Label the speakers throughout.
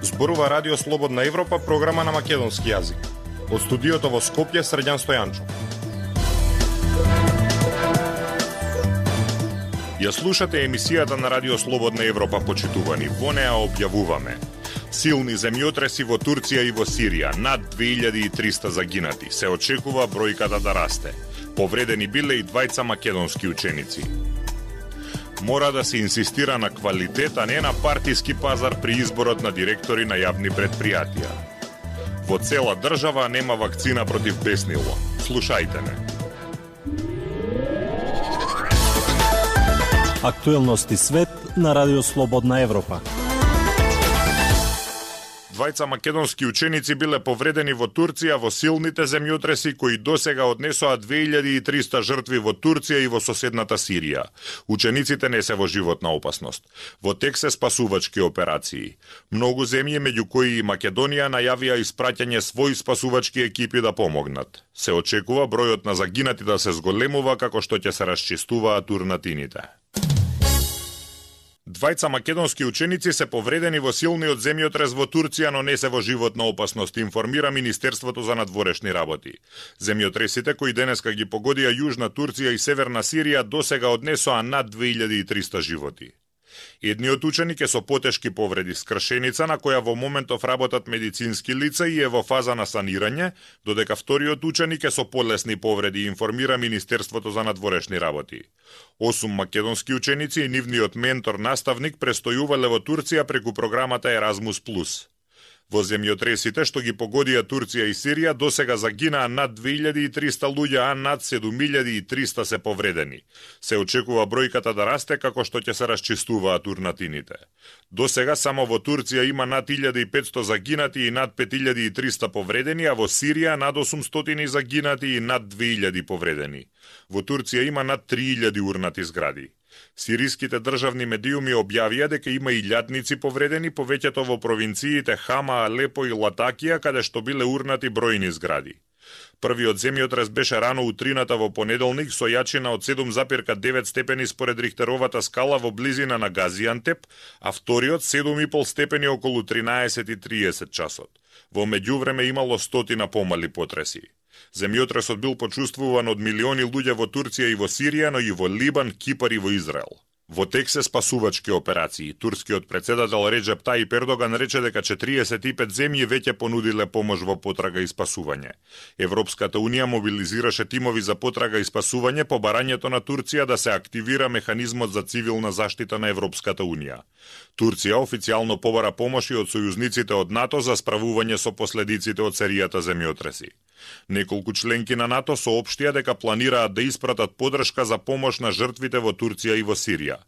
Speaker 1: Зборува Радио Слободна Европа, програма на македонски јазик. Од студиото во Скопје, Срđan Стојанчов. Ја слушате емисијата на Радио Слободна Европа, почитувани. Во неа објавуваме: силни земјотреси во Турција и во Сирија, над 2300 загинати. Се очекува бројката да расте. Повредени биле и двајца македонски ученици. Мора да се инсистира на квалитет, а не на партиски пазар при изборот на директори на јавни предпријатија. Во цела држава нема вакцина против беснило. Слушајте ме.
Speaker 2: Актуелности свет на Радио Слободна Европа.
Speaker 1: Двајца македонски ученици биле повредени во Турција во силните земјотреси кои досега однесоа 2300 жртви во Турција и во соседната Сирија. Учениците не се во животна опасност. Во тек се спасувачки операции. Многу земји, меѓу кои и Македонија, најавија испраќање своји спасувачки екипи да помогнат. Се очекува бројот на загинати да се зголемува како што ќе се расчистуваат урнатините. Двајца македонски ученици се повредени во силниот земјотрес во Турција, но не се во животна опасност, информира Министерството за надворешни работи. Земјотресите кои денеска ги погодија Јужна Турција и Северна Сирија досега однесоа над 2300 животи. Едниот ученик е со потешки повреди, скршеница на која во моментов работат медицински лица и е во фаза на санирање, додека вториот ученик е со полесни повреди, информира Министерството за надворешни работи. 8 македонски ученици и нивниот ментор-наставник престојувале во Турција преку програмата Erasmus+. Во земјотресите што ги погодија Турција и Сирија досега загинаа над 2300 луѓе, а над 7300 се повредени. Се очекува бројката да расте како што ќе се расчистуваат урнатините. Досега само во Турција има над 1500 загинати и над 5300 повредени, а во Сирија над 800 загинати и над 2000 повредени. Во Турција има над 3000 урнати згради. Сириските државни медиуми објавија дека има и илјадници повредени, повеќето во провинциите Хама, Алепо и Латакија, каде што биле урнати бројни згради. Првиот земјотрес беше рано утрината во понеделник со јачина од 7,9 степени според Рихтеровата скала во близина на Газиантеп, а вториот 7,5 степени околу 13:30 часот. Во меѓувреме имало стотина помали потреси. Земјотресот бил почувствуван од милиони луѓе во Турција и во Сирија, но и во Либан, Кипар и во Израел. Во тек се спасувачки операции. Турскиот председател Реджеп Тајип Ердоган рече дека 45 земји веќе понудиле помош во потрага и спасување. Европската унија мобилизираше тимови за потрага и спасување по барањето на Турција да се активира механизмот за цивилна заштита на Европската унија. Турција официјално побара помош и од сојузниците од НАТО за справување со последиците од серијата земјотреси. Неколку членки на НАТО соопштија дека планираат да испратат подршка за помош на жртвите во Турција и во Сирија.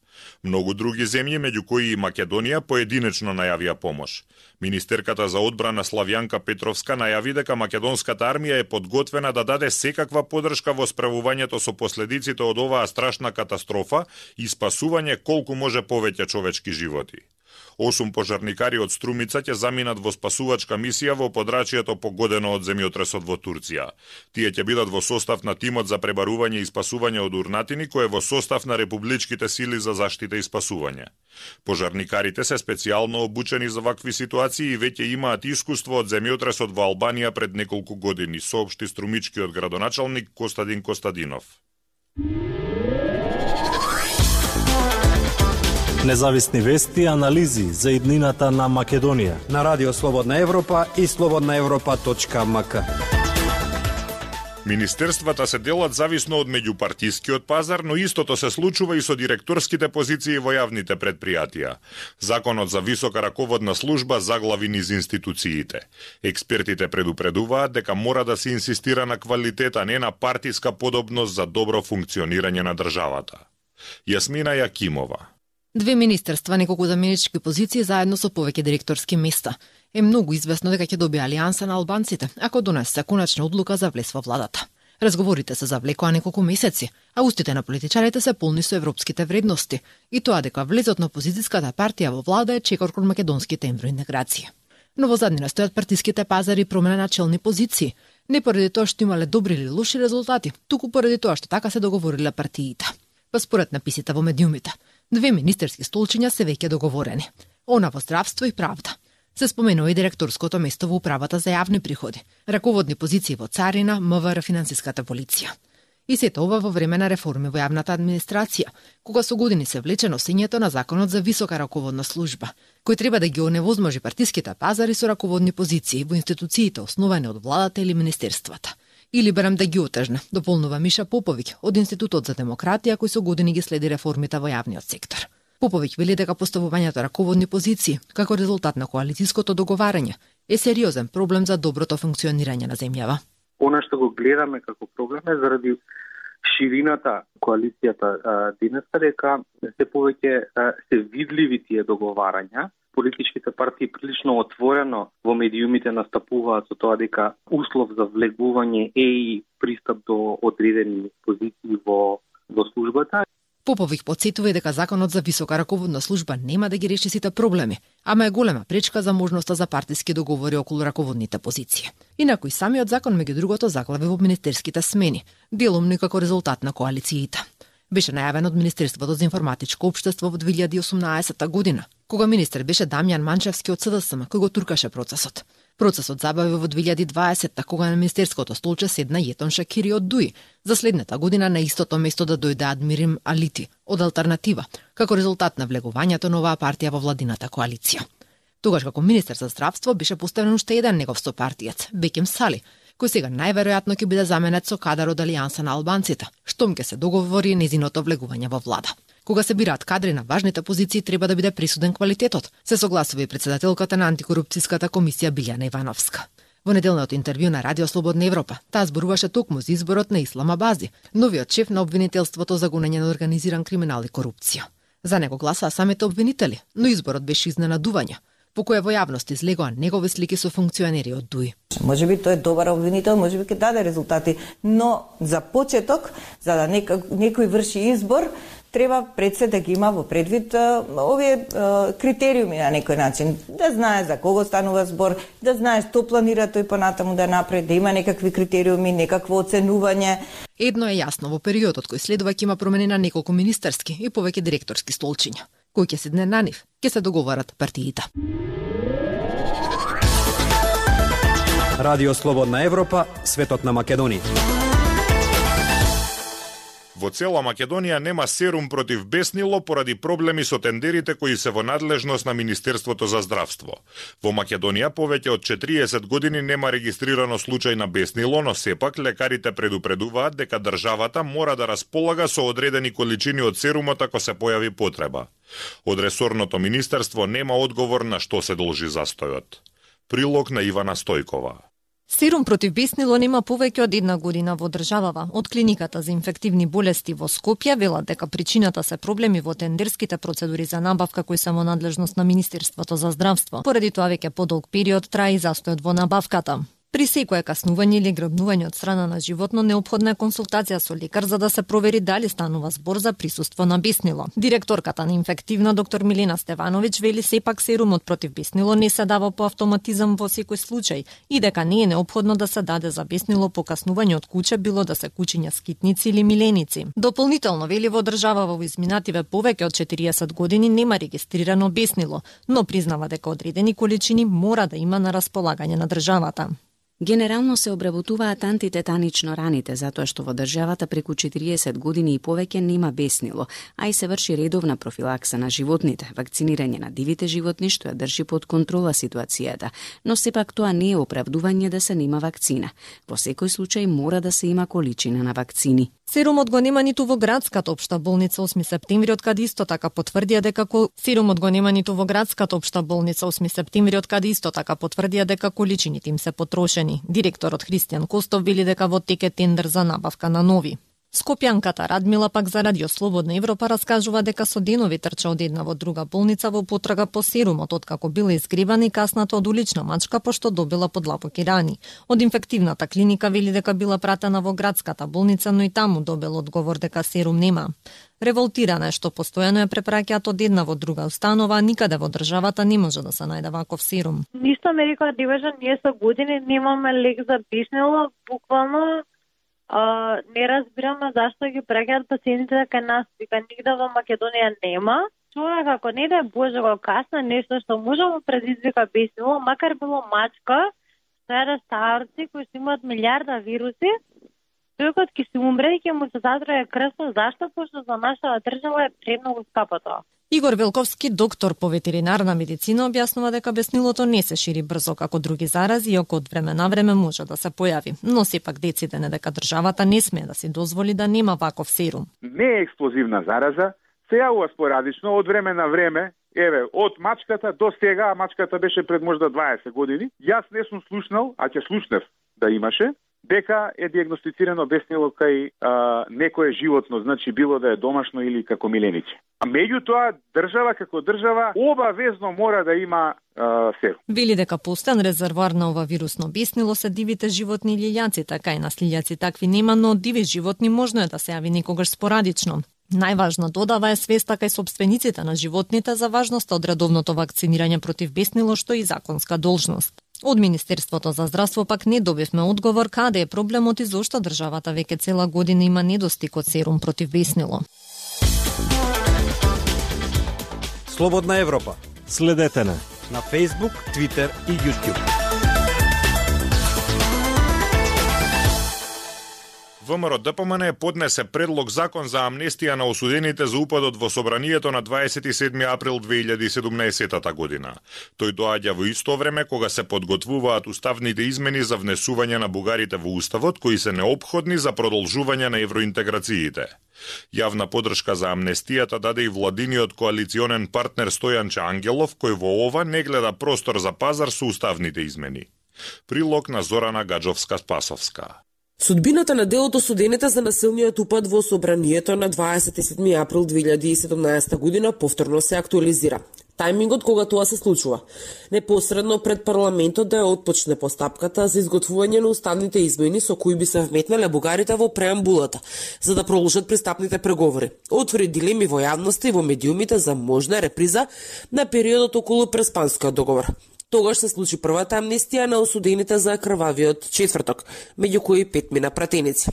Speaker 1: Многу други земји, меѓу кои и Македонија, поединечно најавија помош. Министерката за одбрана Славјанка Петровска најави дека македонската армија е подготвена да даде секаква подршка во справувањето со последиците од оваа страшна катастрофа и спасување колку може повеќе човечки животи. 8 пожарникари од Струмица ќе заминат во спасувачка мисија во подрачјето погодено од земјотресот во Турција. Тие ќе бидат во состав на тимот за пребарување и спасување од урнатини, кој е во состав на републичките сили за заштита и спасување. Пожарникарите се специјално обучени за вакви ситуации и веќе имаат искуство од земјотресот во Албанија пред неколку години, соопшти струмичкиот градоначалник Костадин Костадинов.
Speaker 2: Независни вести и анализи за иднината на Македонија
Speaker 3: на Радио Слободна Европа и slobodnaevropa.mk.
Speaker 1: Министерствата се делат зависно од меѓупартискиот пазар, но истото се случува и со директорските позиции во јавните предпријатија. Законот за висока раководна служба заглави низ институциите. Експертите предупредуваат дека мора да се инсистира на квалитет, а не на партиска подобност за добро функционирање на државата. Јасмина Јакимова.
Speaker 4: Две министерства, неколку заменички позиции заедно со повеќе директорски места. Е многу известно дека ќе добие алијанса на албанците, ако донесе конечна одлука за влез во владата. Разговорите се завлекоа неколку месеци, а устите на политичарите се полни со европските вредности и тоа дека влезот на опозицијската партија во влада е чекор кон македонските евроинтеграции. Но во заднина стојат партиските пазари и промена на челни позиции. Не поради тоа што имале добри или лоши резултати, туку поради тоа што така се договориле партиите. Па според написите во медиумите, 2 министерски столчиња се веќе договорени. Она во здравство и правда. Се споменува и директорското место во управата за јавни приходи, раководни позиции во царина, МВР, финансиската полиција. И сето ова во време на реформи во јавната администрација, кога со години се влече носењето на законот за висока раководна служба, кој треба да ги оневозможи партиските пазари со раководни позиции во институциите основани од владата или министерствата. Или барем да ги отежне, дополнува Миша Поповиќ од Институтот за демократија кој со години ги следи реформите во јавниот сектор. Поповиќ вели дека поставувањето раководни позиции, како резултат на коалицијското договарање, е сериозен проблем за доброто функционирање на земјава.
Speaker 5: Она што го гледаме како проблем е заради ширината коалицијата денеска, дека се повеќе се видливи тие договарања. Политичките партии прилично отворено во медиумите настапуваат со тоа дека услов за влегување е и пристап до одредени позиции во службата.
Speaker 4: Поповиќ потсетува и дека законот за висока раководна служба нема да ги реши сите проблеми, ама е голема пречка за можноста за партиски договори околу раководните позиции. Инаку и самиот закон меѓу другото заглави во министерските смени, делумно како резултат на коалициите. Беше најавен од Министерството за информатичко општество во 2018 година, кога министер беше Дамјан Манчевски од СДСМ, кој го туркаше процесот. Процесот забави во 2020, кога на министерското столче седна Јетон Шакири од ДУИ, за следната година на истото место да дојде Адмирим Алити од Алтернатива, како резултат на влегувањето на оваа партија во владината коалиција. Тогаш како министер за здравство беше поставен уште еден негов сопартиец, Беким Сали, кој сега најверојатно ќе биде заменет со кадар од Алијанса на албанците, штом ќе се договори незиното влегување во влада. Кога се бираат кадри на важните позиции, треба да биде присуден квалитетот, се согласува и председателката на антикорупцијската комисија Билјана Ивановска. Во неделното интервју на Радио Слободна Европа, таа зборуваше токму за изборот на Ислам Абази, новиот шеф на обвинителството за гонење на организиран криминал и корупција. За него гласаа самите обвинители, но изборот беше изненадување, по која во јавност излегоа негови слики со функционери од ДУИ.
Speaker 6: Може би тој е добар обвинител, може би ќе даде резултати, но за почеток, за да некој врши избор, треба пред се да ги има во предвид овие критериуми на некој начин. Да знае за кого станува збор, да знае што планира тој понатаму да направи, да има некакви критериуми, некакво оценување.
Speaker 4: Едно е јасно, во периодот кој следува ќе има промени на неколку министерски и повеќе директорски столчиња. Кој ќе седне на нив, ќе се договарат партиите.
Speaker 3: Радио Слободна Европа, светот на Македонија.
Speaker 1: Во цела Македонија нема серум против беснило поради проблеми со тендерите кои се во надлежност на Министерството за здравство. Во Македонија повеќе од 40 години нема регистрирано случај на беснило, но сепак лекарите предупредуваат дека државата мора да располага со одредени количини од серумот ако се појави потреба. Од ресорното министерство нема одговор на што се должи застојот. Прилог на Ивана Стојкова.
Speaker 7: Серум против беснило нема повеќе од една година во државава. Од клиниката за инфективни болести во Скопје велат дека причината се проблеми во тендерските процедури за набавка кои се во надлежност на Министерството за здравство. Поради тоа веќе подолг период трае и застојот во набавката. При секое каснување или грабнување од страна на животно неопходна е консултација со лекар за да се провери дали станува збор за присуство на беснило. Директорката на инфективна доктор Милена Стевановиќ вели сепак серумот против беснило не се дава по автоматизам во секој случај и дека не е неопходно да се даде за беснило по каснување од куќа, било да се кучиња скитници или миленици. Дополнително вели во држава во изминативе повеќе од 40 години нема регистрирано беснило, но признава дека одредени количини мора да има на располагање на државата.
Speaker 8: Генерално се обработуваат антитетанично раните, затоа што во државата преку 40 години и повеќе нема беснило, а и се врши редовна профилакса на животните, вакцинирање на дивите животни што ја држи под контрола ситуацијата, но сепак тоа не е оправдување да се нема вакцина. Во секој случај мора да се има количина на вакцини.
Speaker 7: Серумот го нема ниту во градската општа болница 8 септември, од каде исто така потврдија дека количините им се потрошени. Директорот Христијан Костов вели дека во тек е тендер за набавка на нови. Скопјанката Радмила пак за Радио Слободна Европа раскажува дека со денови трча од една во друга болница во потрага по серумот откако била изгревана и касната од улична мачка пошто добила подлабоки рани. Од инфективната клиника вели дека била пратена во градската болница, но и таму добил одговор дека серум нема. Револтирана е што постојано ја препраќаат од една во друга установа, а никаде во државата не може да се најде ваков серум.
Speaker 9: Ништо ме рекоа деважа, ние со години немаме лек за беснило, буквално не разбираме зашто ги праќаат пациентите кај нас, вика нигде во Македонија нема. Човек ако не да Боже го касна нешто што може да предизвика беснило, макар било мачка, тоа старци кои имаат милиарда вируси, човекот ќе се умре и ќе му се затрае крвта. Зашто? Пошто за нашата држава е премногу скапо тоа.
Speaker 7: Игор Велковски, доктор по ветеринарна медицина, објаснува дека беснилото не се шири брзо како други зарази и од време на време може да се појави. Но сепак дециден е дека државата не смее да си дозволи да нема ваков серум.
Speaker 10: Не е експлозивна зараза, се јавува спорадично од време на време. Еве, од мачката до сега, мачката беше пред можда 20 години. Јас не сум слушнал, а ќе слушнев да имаше, дека е диагностицирано беснило кај некое животно, значи било да е домашно или како милениче. А меѓутоа, држава како држава обавезно мора да има серум.
Speaker 7: Вели дека постојан резервоар на ова вирусно беснило се дивите животни и лилјаците, кај нас лилјаци такви нема, но диви животни можно е да се јави некогаш спорадично. Најважна додава е свеста кај собствениците на животните за важноста од редовното вакцинирање против беснило, што е законска должност. Од Министерството за здравство пак не добивме одговор каде е проблемот и зошто државата веќе цела година има недостиг од серум против беснило.
Speaker 3: Слободна Европа.
Speaker 2: Следете на
Speaker 3: Facebook, Twitter и YouTube.
Speaker 1: ВМРО ДПМН поднесе предлог закон за амнестија на осудените за упадот во собранието на 27 април 2017 година. Тој доаѓа во исто време кога се подготвуваат уставните измени за внесување на бугарите во уставот, кои се неопходни за продолжување на евроинтеграциите. Јавна подршка за амнестијата даде и владиниот коалиционен партнер Стојанче Ангелов, кој во ова не гледа простор за пазар со уставните измени. Прилог на Зорана Гаджовска-Спасовска.
Speaker 11: Судбината на дел од осудените за насилниот упад во собранието на 27 април 2017 година повторно се актуализира. Тајмингот кога тоа се случува, непосредно пред парламентот да ја отпочне постапката за изготвување на уставните измени со кои би се вметнале бугарите во преамбулата, за да продолжат пристапните преговори. Отвори дилеми во јавноста и во медиумите за можна реприза на периодот околу Преспанскиот договор. Тогаш се случи првата амнестија на осудените за крвавиот четврток, меѓу кои 5 мина пратеници.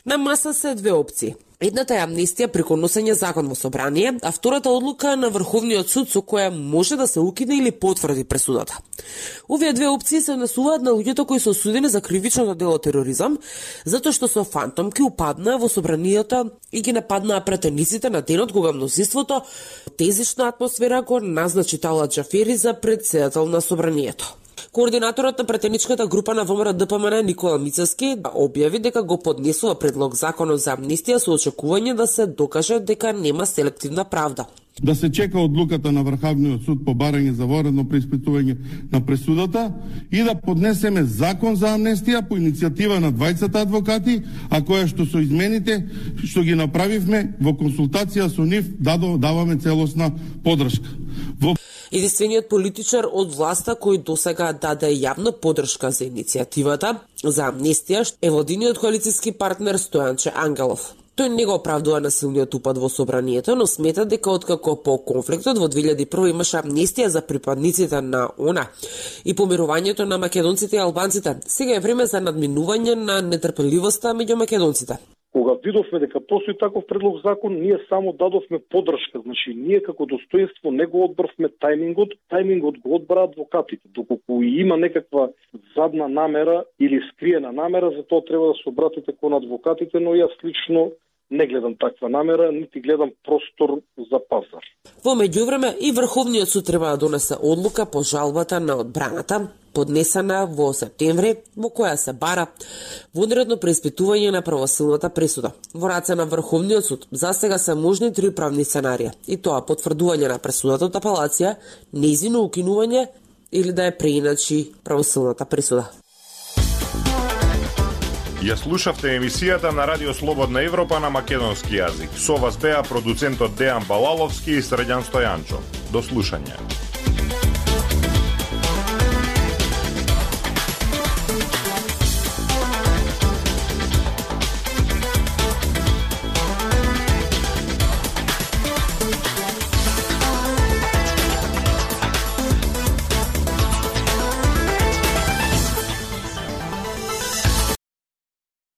Speaker 11: На маса се две опции. Едната е амнестија преку носење закон во собрание, а втората одлука на Врховниот суд со која може да се укине или потврди пресудата. Овие две опции се однесуваат на луѓето кои се осудени за кривичното дело тероризам, затоа што со фантомки упаднаа во собранието и ги нападнаа пратениците на денот кога мнозинството тезична атмосфера го назначи Талат Џафери за претседател на собранието. Координаторот на пратеничката група на ВМРО ДПМН Никола Мицевски објави дека го поднесува предлог законот за амнестија со очекување да се докаже дека нема селективна правда.
Speaker 12: Да се чека одлуката на Врховниот суд по барање за воредно преиспитување на пресудата и да поднесеме закон за амнестија по иницијатива на двајцата адвокати, а која што со измените што ги направивме во консултација со нив даваме целосна подршка.
Speaker 11: Единствениот политичар од власта кој досега даде јавна подршка за иницијативата за амнестија е владиниот коалициски партнер Стојанче Ангелов. Тој не го оправдува насилниот упад во собранието, но смета дека откако по конфликтот во 2001 имаше амнестија за припадниците на ОНА и помирувањето на македонците и албанците, сега е време за надминување на нетрпеливоста меѓу македонците.
Speaker 13: Кога видовме дека постои таков предлог закон, ние само дадовме подршка. Значи, ние како достоинство не го одбрвме тајмингот го одбра адвокатите. Доколку има некаква задна намера или скриена намера, за тоа треба да се обратите кон адвокатите, но јас лично не гледам таква намера, нити гледам простор за пазар.
Speaker 11: Во меѓувреме и Врховниот суд треба да донесе одлука по жалбата на одбраната, поднесена во септември, во која се бара вонредно преиспитување на правосилната пресуда. Во раце на Врховниот суд за сега се можни 3 правни сценарија, и тоа потврдување на пресудата од апелација, нејзино укинување или да ја преиначи правосилната пресуда.
Speaker 1: Ја слушавте емисијата на Радио Слободна Европа на македонски јазик. Со вас беа продуцентот Дејан Балаловски и Срđan Стојанчо. До слушање.